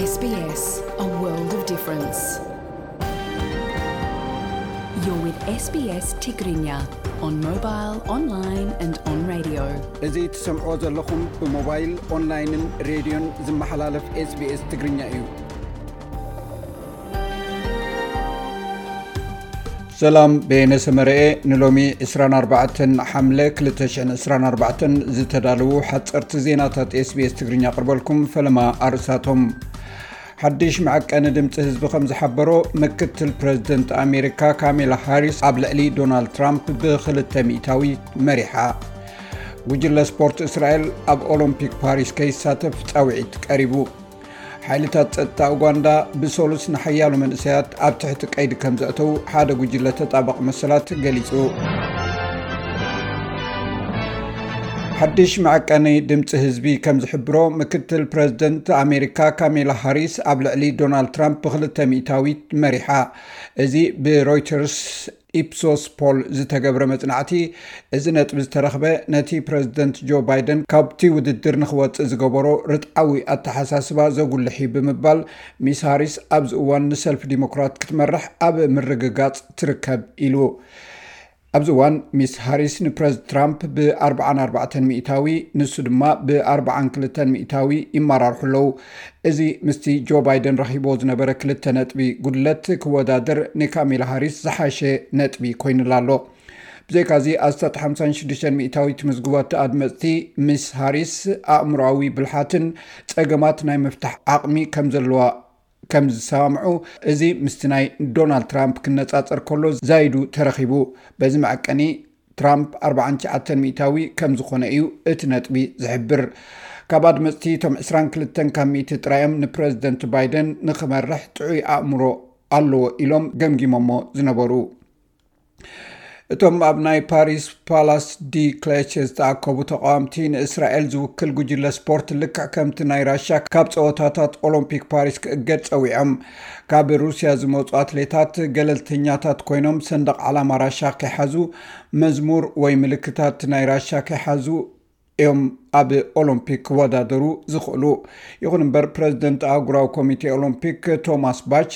S B S, a world of difference. You're with S B S Tigrinya on mobile, online and on radio. እዚ ትሰምዕዎ ዘለኹም ብሞባይል፣ ኦንላይንን ሬድዮን ዝመሓላለፍ S B S ትግርኛ እዩ። ሰላም፣ በየነ ሰመረኤ። ንሎሚ ዕስራን ኣርባዕተን ሓምለ ክልተ ሽሕን ዕስራን ኣርባዕተን ዝተዳለዉ ሓጸርቲ ዜናታት S B S ትግርኛ ኣቕርበልኩም። ፈለማ ኣርእስታቶም። ሓድሽ መዐቀኒ ድምፂ ህዝቢ ከም ዝሓበሮ፣ ምክትል ፕረዚደንት ኣሜሪካ ካሜላ ሃሪስ ኣብ ልዕሊ ዶናልድ ትራምፕ ብክልተ ሚእታዊት መሪሓ። ጉጅለ ስፖርት እስራኤል ኣብ ኦሎምፒክ ፓሪስ ከይሳተፍ ፃውዒት ቀሪቡ። ሓይልታት ጸጥታ ኡጋንዳ ብሰሉስ ንሓያሎ መንእሰያት ኣብ ትሕቲ ቀይዲ ከም ዘእተዉ ሓደ ጉጅለ ተጣባቒ መሰላት ገሊጹ። ሓድሽ መዐቀኒ ድምፂ ህዝቢ ከም ዝሕብሮ፣ ምክትል ፕረዚደንት ኣሜሪካ ካሜላ ሃሪስ ኣብ ልዕሊ ዶናልድ ትራምፕ ብክልተ ሚእታዊት መሪሓ። እዚ ብሮይተርስ ኢፕሶስ ፖል ዝተገብረ መጽናዕቲ፣ እዚ ነጥቢ ዝተረኽበ ነቲ ፕረዚደንት ጆ ባይደን ካብቲ ውድድር ንኽወጽእ ዝገበሮ ርትዓዊ ኣተሓሳስባ ዘጉልሕ እዩ ብምባል፣ ሚስ ሃሪስ ኣብዚ እዋን ንሰልፊ ዲሞክራት ክትመርሕ ኣብ ምርግጋጽ ትርከብ ኢሉ። ኣብዚ እዋን፣ ሚስ ሃሪስ ንፕረዚደንት ትራምፕ ብ ኣርብዓን ኣርባዕተን ሚእታዊ፣ ንሱ ድማ ብ ኣርብዓን ክልተን ሚእታዊ ይመራርሑ ኣለዉ። እዚ ምስቲ ጆ ባይደን ረኺብዎ ዝነበረ ክልተ ነጥቢ ጉድለት ክወዳደር፣ ንካሜላ ሃሪስ ዝሓሸ ነጥቢ ኮይኑላ ኣሎ። ብዘይካዚ፣ ኣስታት ሓምሳን ሽዱሽተን ሚእታዊ ትምዝግቦ ኣድመጽቲ፣ ሚስ ሃሪስ ኣእምሮኣዊ ብልሓትን ጸገማት ናይ ምፍታሕ ዓቕሚ ከም ዘለዋ ከም ዝሰማምዑ፣ እዚ ምስቲ ናይ ዶናልድ ትራምፕ ክነጻጸር ከሎ ዛይዱ ተረኺቡ። በዚ መዐቀኒ፣ ትራምፕ ኣርባዓን ትሽዓተን ሚእታዊ ከም ዝኾነ እዩ እቲ ነጥቢ ዝሕብር። ካብ ኣድመጽቲ፣ እቶም ዕስራን ክልተን ካብ ሚእቲ ጥራዮም ንፕረዚደንት ባይደን ንኽመርሕ ጥዑይ ኣእምሮ ኣለዎ ኢሎም ገምጊሞሞ ዝነበሩ። እቶም ኣብ ናይ ፓሪስ ፓላስ ዲ ክሌቸ ዝተኣከቡ ተቓወምቲ፣ ንእስራኤል ዝውክል ጉጅለ ስፖርት ልክዕ ከምቲ ናይ ራሻ ካብ ጸወታታት ኦሎምፒክ ፓሪስ ክእገድ ጸዊዖም። ካብ ሩስያ ዝመጹ ኣትሌታት ገለልተኛታት ኮይኖም፣ ሰንደቕ ዓላማ ራሻ ከይሓዙ፣ መዝሙር ወይ ምልክታት ናይ ራሻ ከይሓዙ እዮም ኣብ ኦሎምፒክ ክወዳደሩ ዝኽእሉ። ይኹን እምበር፣ ፕረዚደንት ኣህጉራዊ ኮሚቴ ኦሎምፒክ ቶማስ ባች፣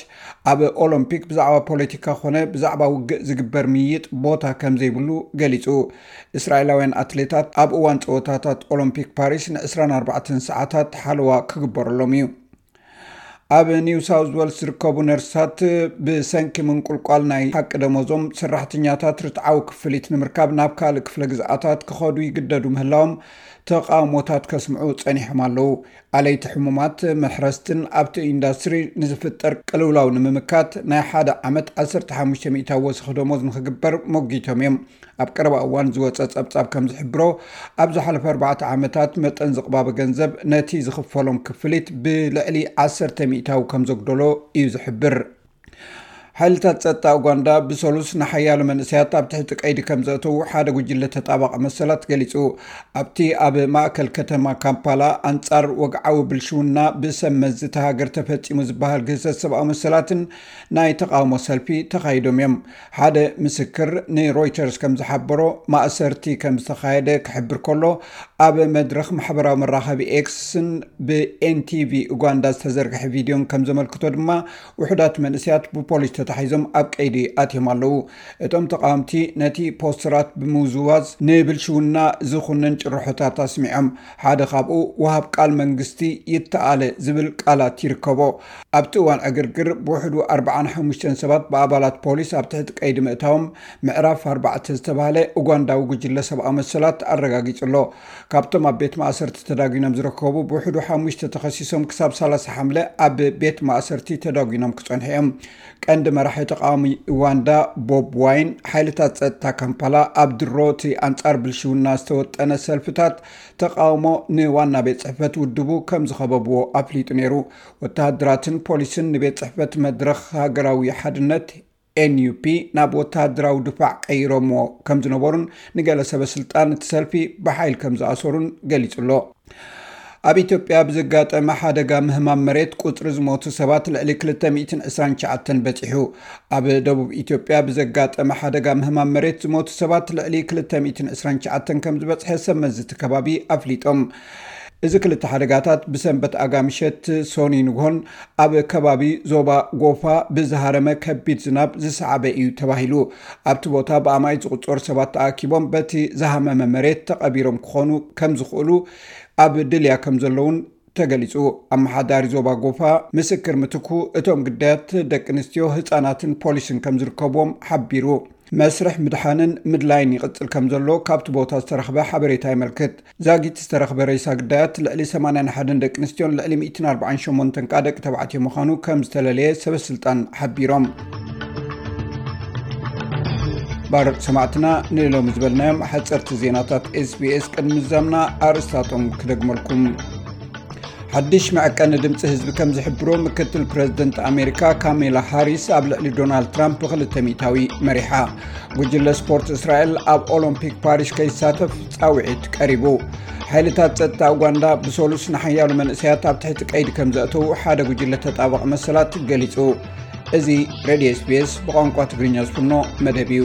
ኣብ ኦሎምፒክ ብዛዕባ ፖለቲካ ኾነ ብዛዕባ ውግእ ዝግበር ምይይጥ ቦታ ከም ዘይብሉ ገሊጹ። እስራኤላውያን ኣትሌታት ኣብ እዋን ጸወታታት ኦሎምፒክ ፓሪስ ን ዕስራን ኣርባዕተን ሰዓታት ሓለዋ ክግበረሎም እዩ። ኣብ ኒው ሳውዝ ዌልስ ዝርከቡ ነርሳት፣ ብሰንኪ ምንቁልቋል ናይ ሓቂ ደሞዞም፣ ሰራሕተኛታት ርትዓዊ ክፍሊት ንምርካብ ናብ ካልእ ክፍለ ግዝኣታት ክኸዱ ይግደዱ ምህላዎም ተቓውሞታት ከስምዑ ጸኒሖም ኣለዉ። ኣለይቲ ሕሙማት፣ መሕረስትን ኣብቲ ኢንዳስትሪ ንዝፍጠር ቅልውላው ንምምካት፣ ናይ ሓደ ዓመት ዓሰርተ ሓሙሽተ ሚእታዊ ወሰኽ ደሞዝ ንኽግበር ሞጊቶም እዮም። ኣብ ቀረባ እዋን ዝወጸ ጸብጻብ ከም ዝሕብሮ፣ ኣብ ዝሓለፈ ኣርባዕተ ዓመታት መጠን ዝቕባበ ገንዘብ ነቲ ዝኽፈሎም ክፍሊት ብልዕሊ ዓሰርተ ሚእታዊ ከም ዘጉደሎ እዩ ዝሕብር። ሓይልታት ጸጥታ ኡጋንዳ ብሰሉስ ንሓያሎ መንእሰያት ኣብ ትሕቲ ቀይዲ ከም ዘእተዉ ሓደ ጉጅለ ተጣባቒ መሰላት ገሊጹ። ኣብቲ ኣብ ማእከል ከተማ ካምፓላ ኣንጻር ወግዓዊ ብልሽውና ብሰብ መዚ እታ ሃገር ተፈጺሙ ዝበሃል ግህሰት ሰብኣዊ መሰላትን ናይ ተቓውሞ ሰልፊ ተኻይዶም እዮም። ሓደ ምስክር ንሮይተርስ ከም ዝሓበሮ፣ ማእሰርቲ ከም ዝተኻየደ ክሕብር ከሎ፣ ኣብ መድረኽ ማሕበራዊ መራኸቢ ኤክስን ብ N T V ኡጋንዳ ዝተዘርግሐ ቪድዮን ከም ዘመልክቶ ድማ፣ ውሑዳት መንእሰያት ብፖሊስ ተታሒዞም ኣብ ቀይዲ ኣትዮም ኣለዉ። እቶም ተቓወምቲ ነቲ ፖስተራት ብምውዝዋዝ ንብልሽውና ዝኹንን ጭርሖታት ኣስሚዖም። ሓደ ካብኡ፣ "ወሃብ ቃል መንግስቲ ይተኣለ" ዝብል ቃላት ይርከቦ። ኣብቲ እዋን ዕግርግር፣ ብውሕዱ ኣርባዓን ሓሙሽተን ሰባት ብኣባላት ፖሊስ ኣብ ትሕቲ ቀይዲ ምእታዎም፣ ምዕራፍ ኣርባዕተ ዝተባህለ ኡጋንዳዊ ጉጅለ ሰብኣዊ መሰላት ኣረጋጊጹ ኣሎ። ካብቶም ኣብ ቤት ማእሰርቲ ተዳጒኖም ዝርከቡ፣ ብውሕዱ ሓሙሽተ ተኸሲሶም ክሳብ ሰላሳ ሓምለ ኣብ ቤት ማእሰርቲ ተዳጒኖም ክጸንሑ እዮም። ቀንዲ መራሒ ተቃዋሚ ኡጋንዳ ቦብ ዋይን፣ ሓይልታት ጸጥታ ካምፓላ ኣብ ድሮ እቲ ኣንጻር ብልሽውና ዝተወጠነ ሰልፍታት ተቃውሞ ንዋና ቤት ጽሕፈት ውድቡ ከም ዝኸበብዎ ኣፍሊጡ ነይሩ። ወተሃደራትን ፖሊስን ንቤት ጽሕፈት መድረኽ ሃገራዊ ሓድነት፣ N U P፣ ናብ ወተሃደራዊ ድፋዕ ቀይሮምዎ ከም ዝነበሩን፣ ንገለ ሰበ ስልጣን እቲ ሰልፊ ብሓይል ከም ዝኣሰሩን ገሊጹ ኣሎ። ኣብ ኢትዮጵያ ብዘጋጠመ ሓደጋ ምህማም መሬት፣ ቁጽሪ ዝሞቱ ሰባት ልዕሊ ክልተ ሚእትን ዕስራን ትሽዓተን በጺሑ። ኣብ ደቡብ ኢትዮጵያ ብዘጋጠመ ሓደጋ ምህማም መሬት ዝሞቱ ሰባት ልዕሊ ክልተ ሚእትን ዕስራን ትሽዓተን ከም ዝበጽሐ ሰብ መዚ እቲ ከባቢ ኣፍሊጦም። እዚ ክልተ ሓደጋታት ብሰንበት ኣጋምሸት ሶኒ ንግሆን ኣብ ከባቢ ዞባ ጎፋ ብዝሃረመ ከቢድ ዝናብ ዝሰዓበ እዩ ተባሂሉ። ኣብቲ ቦታ ብኣማኢት ዝቑጸሩ ሰባት ተኣኪቦም በቲ ዝሃመመ መሬት ተቐቢሮም ክኾኑ ከም ዝኽእሉ ኣብ ድልያ ከም ዘለውን ተገሊጹ። ኣመሓዳሪ ዞባ ጎፋ ምስክር ምትኩ፣ እቶም ግዳያት ደቂ ኣንስትዮ፣ ህጻናትን ፖሊስን ከም ዝርከብዎም ሓቢሩ። መስርሕ ምድሓንን ምድላይን ይቕጽል ከም ዘሎ ካብቲ ቦታ ዝተረኽበ ሓበሬታ የመልክት። ዛጊት ዝተረኽበ ሬሳ ግዳያት ልዕሊ ሰማንያን ሓደን ደቂ ኣንስትዮን ልዕሊ ሚእትን ኣርባዓን ሸሞንተን ከኣ ደቂ ተባዕትዮ ምዃኑ ከም ዝተለለየ ሰበስልጣን ሓቢሮም። ባር ሰማዕትና፣ ንሎሚ ዝበልናዮም ሓጸርቲ ዜናታት ኤስቢኤስ ቅድሚ ምዛምና ኣርእስታቶም ክደግመልኩም። ሓድሽ መዐቀኒ ድምፂ ህዝቢ ከም ዝሕብሮ፣ ምክትል ፕረዚደንት ኣሜሪካ ካሜላ ሃሪስ ኣብ ልዕሊ ዶናልድ ትራምፕ ብክልተ ሚእታዊ መሪሓ። ጉጅለ ስፖርት እስራኤል ኣብ ኦሎምፒክ ፓሪስ ከይሳተፍ ፃውዒት ቀሪቡ። ሓይልታት ጸጥታ ኡጋንዳ ብሰሉስ ንሓያሎ መንእሰያት ኣብ ትሕቲ ቀይዲ ከም ዘእተዉ ሓደ ጉጅለ ተጣባቒ መሰላት ገሊጹ። እዚ ሬድዮ ኤስቢኤስ ብቋንቋ ትግርኛ ዝፍኖ መደብ እዩ።